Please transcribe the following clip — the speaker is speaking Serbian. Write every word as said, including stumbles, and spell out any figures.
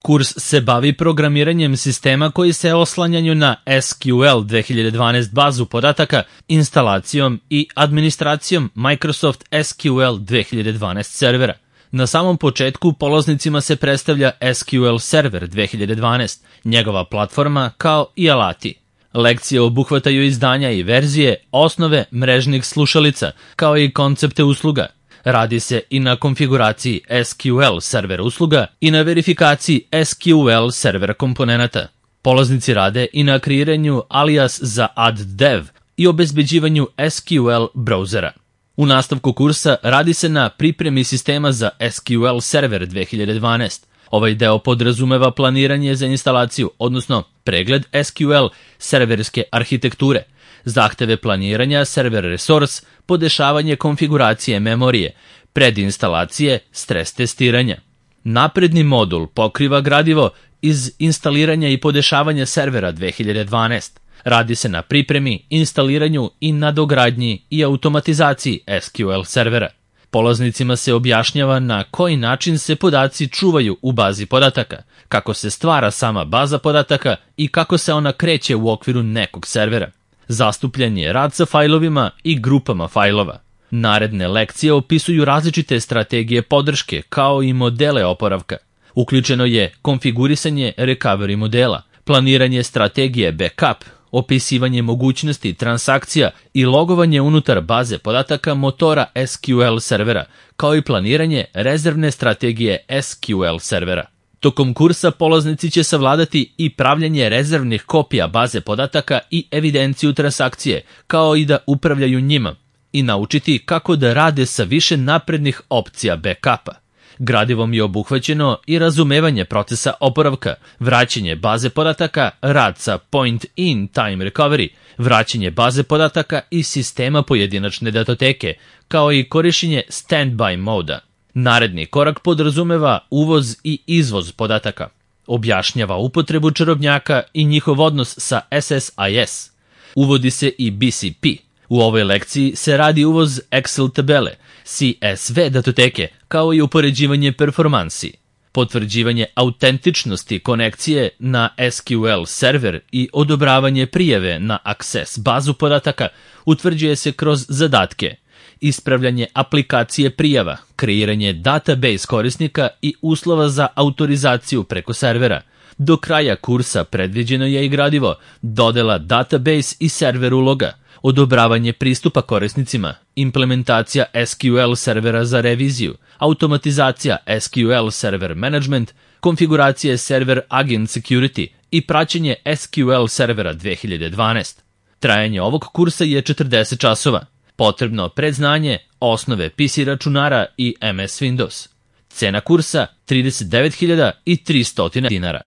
Kurs se bavi programiranjem sistema koji se oslanjaju na S Q L dve hiljade dvanaest bazu podataka, instalacijom i administracijom Microsoft S Q L dve hiljade dvanaest servera. Na samom početku polaznicima se predstavlja S Q L Server dve hiljade dvanaest, njegova platforma kao i alati. Lekcije obuhvataju izdanja i verzije, osnove mrežnih slušalica, kao i koncepte usluga. Radi se i na konfiguraciji S Q L server usluga i na verifikaciji S Q L server komponenata. Polaznici rade i na kreiranju alias za add-dev i obezbeđivanju S Q L brauzera. U nastavku kursa radi se na pripremi sistema za S Q L server dve hiljade dvanaest. Ovaj deo podrazumeva planiranje za instalaciju, odnosno pregled S Q L serverske arhitekture, zahteve planiranja server resource, podešavanje konfiguracije memorije, predinstalacije, stres testiranja. Napredni modul pokriva gradivo iz instaliranja i podešavanja servera dve hiljade dvanaest. Radi se na pripremi, instaliranju i nadogradnji i automatizaciji S Q L servera. Polaznicima se objašnjava na koji način se podaci čuvaju u bazi podataka, kako se stvara sama baza podataka i kako se ona kreće u okviru nekog servera. Zastupljen je rad sa fajlovima i grupama fajlova. Naredne lekcije opisuju različite strategije podrške kao i modele oporavka. Uključeno je konfigurisanje recovery modela, planiranje strategije backup, opisivanje mogućnosti transakcija i logovanje unutar baze podataka motora S Q L servera, kao i planiranje rezervne strategije S Q L servera. Tokom kursa polaznici će savladati i pravljanje rezervnih kopija baze podataka i evidenciju transakcije, kao i da upravljaju njima, i naučiti kako da rade sa više naprednih opcija backupa. Gradivom je obuhvaćeno i razumevanje procesa oporavka, vraćanje baze podataka, rad sa point-in-time recovery, vraćanje baze podataka i sistema pojedinačne datoteke, kao i korišćenje standby moda. Naredni korak podrazumeva uvoz i izvoz podataka. Objašnjava upotrebu čarobnjaka i njihov odnos sa S S I S. Uvodi se i B C P. U ovoj lekciji se radi uvoz Excel tabele, C S V datoteke, kao i upoređivanje performansi. Potvrđivanje autentičnosti konekcije na S Q L server i odobravanje prijave na Access bazu podataka utvrđuje se kroz zadatke. Ispravljanje aplikacije prijava, kreiranje database korisnika i uslova za autorizaciju preko servera. Do kraja kursa predviđeno je i gradivo, dodela database i server uloga, odobravanje pristupa korisnicima, implementacija S Q L servera za reviziju, automatizacija S Q L server management, konfiguracije server agent security i praćenje S Q L servera dve hiljade dvanaest. Trajanje ovog kursa je četrdeset časova. Potrebno predznanje, osnove P C računara i M S Windows. Cena kursa trideset devet hiljada tristo dinara.